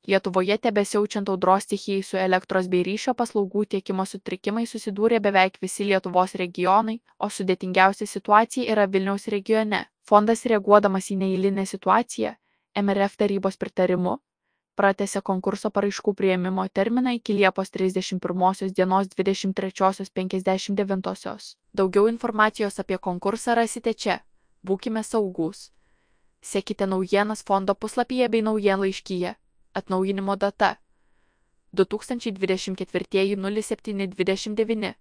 Lietuvoje tebesiaučiant audros stichijai su elektros bei ryšio paslaugų tiekimo sutrikimais susidūrė beveik visi Lietuvos regionai, o sudėtingiausia situacija yra Vilniaus regione. Fondas reaguodamas į neeilinę situaciją, MRF tarybos pritarimu, pratęsė konkurso paraiškų priėmimo terminą iki Liepos 31 dienos 23:59. Daugiau informacijos apie konkursą rasite čia. Būkime saugūs. Sekite naujienas fondo puslapyje bei naujienlaiškyje. Atnaujinimo data 2024 07-29.